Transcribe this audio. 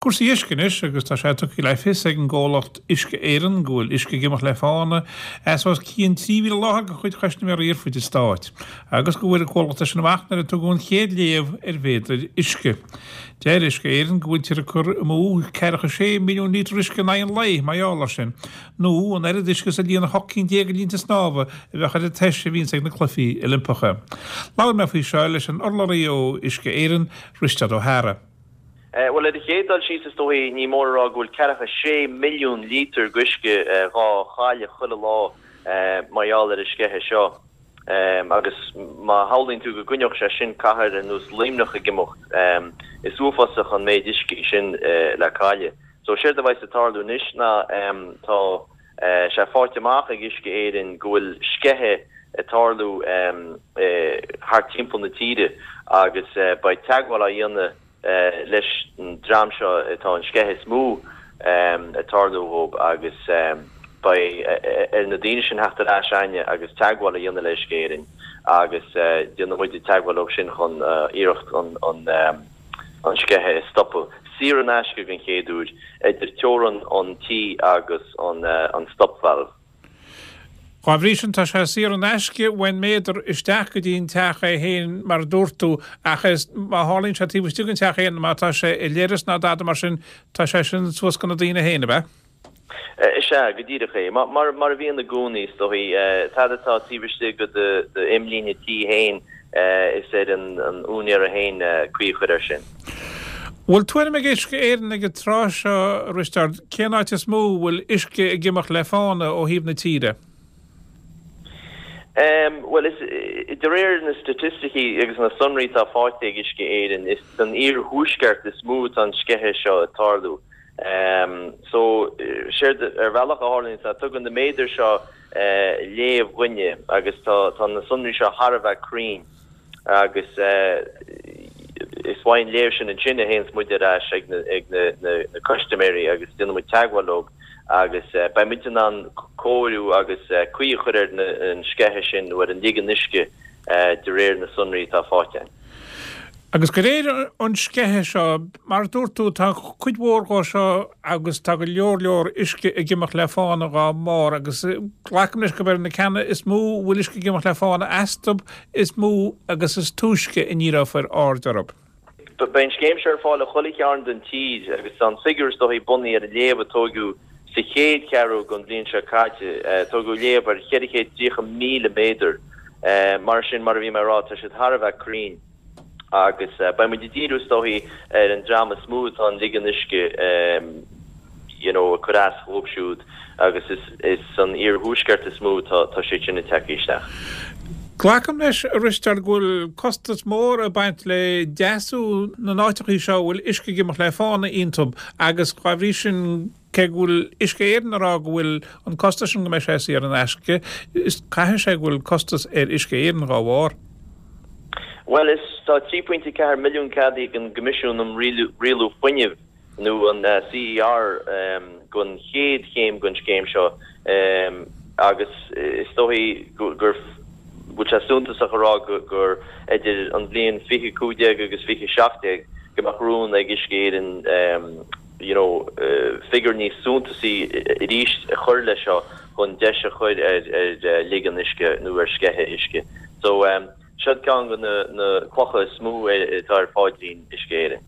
Cúrsaí uisce anois agus tá sé tugtha le fios ag an gcomhlacht Uisce Éireann go bhfuil uisce ag imeacht le fána as os cionn 3,000 láthair de chuid chustaiméirí ar fud an stáit agus go bhfuair an comhlacht é sin amach nuair a tugadh an chéad léamh ar mhéadair uisce. Deir Uisce Éireann go bhfuiltear ag cur amú ceathracha sé milliún lítear uisce in aghaidh an lae mar gheall air sin, nó an oiread uisce is a líonfadh 18 cinn de linnte snámha a bheadh ar an toise a bhíonns ag na Cluichí Oilimpeacha. Labhair mé faoi seo leis an urlabhraí ó Uisce Éireann, Risteard Ó hEára. Bhuel, ar an chéad dul síos, is dóigh, ní mór a rá go bhfuil ceathracha sé milliún lítear d'uisce dhá chailleadh chuile lá mar gheall ar an sceitheadh seo. Agus má shamhlaíonn tú go gcoinneodh sé sin cathair ar nós Luimneach ag imeacht, is uafásach an méid uisce é sin le cailleadh. So, séard a bheas ag tarlú anois ná tá sé faighte amach ag Uisce Éireann go bhfuil sceitheadh ag tarlú thart timpeall na tíre agus beidh teagmháil á dhéanamh leis an dream seo atá an sceitheadh is mó ag tarlú dhóibh agus beidh ar na daoine sin theacht ar ais a'inne agus teagmháil a dhéanamh le Uisce Éireann agus déanfaidh muide teagmháil leo sin chun iarracht an an sceitheadh a stopadh, saor in aisce den chéad uair, idir teorainn an tí agus an stop valve. Dá bhrí sin, tá sé saor in aisce uain méadar isteach go dtí an teach é féin mar a dúirt tú, ach is má tharlaíonn sé taobh istigh den teach féin, má tá sé i leithreas ná dada mar sin, tá sé sin suas go na daoine féin, ab ea? Is ea, go díreach é. Mar a bhíonn i gcónaí, is dóigh, tada atá taobh istigh de d'imlíne tí féin, is ar an úinéara féin caoi a chur air sin. Bhfuil tuairim ag Uisce Éireann ag an tráth seo, a Risteaird, cén áit is mó a bhfuil uisce ag imeacht le fána ó thaobh na tíre? Bhuel, is de réir na staitisticí agus na sonraí atá faighte ag Uisce Éireann, is san iarthuaisceart is mó atá an sceitheadh seo ag tarlú. So, séard ar bhealach a tharlaíonn ná tugann na méadair seo léamh dhúinne agus tá na sonraí seo thar a bheith cruinn. agus is uaidh an léamh sin ansin a théanns muid ar ais ag na custaiméirí agus déanann muid teagmháil leo agus beidh muid in ann cóiriú agus caoi a chur ar an sceitheadh sin nó ar an ligean uisce de réir na sonraí atá faighte againn. Agus de réir an sceithe seo, mar a dúirt tú, tá cuid mhór dhó seo agus tá go leor leor uisce ag imeacht le fána dhá mbarr agus glacaim leis gurb ar na ceanna is mó a bhfuil uisce ag imeacht le fána astu is mó agus is túisce a ndíreofar aird orthu. Beidh an scéim seo ar fáil i chuile chearn den tír agus tá an figiúr is dóichí bunaithe ar an léamh a tóigeadh sa chéad cheathrú den bhliain seo caite. Tógadh léamh ar 430,000 méadar. Mar sin, mar a bhí mé a rá, tá siad thar a bheith cruinn agus beidh muid ag díriú is dóichí ar an dream is mó atá an ligean uisce you know ag cur as dhóibh siúd agus is is san iarthuaisceart is mó atá tá sé sin ag teacht isteach. Glacaim leis, a Risteaird, go bhfuil costas mór ag baint le deasú na n-áiteachaí seo a bhfuil uisce ag imeacht le fána iontu agus dá bhrí sin cé go bhfuil Uisce Éireann ag rá go bhfuil an costas sin go mbeidh sé saor in aisce, is caithfidh sé go bhfuil costas ar Uisce Éireann dhá bharr. Bhuel is tá 3.4 milliún ceadaithe ag an gCoimisiún um Rialú Fuinnimh nó an CER don chéad chéim den scéim seo agus is dóichí gur bhfuil sé suntasach a rá gur idir an bhliain 2015 agus 2017 go mbeadh rún ag Uisce Éireann you know figiúr níos suntasaí arís a chur leis seo chun deis a chur ar ligean uisce nó ar sceitheadh uisce. So seo ceann de na clocha is mó atá ar phaidrín Uisce Éireann.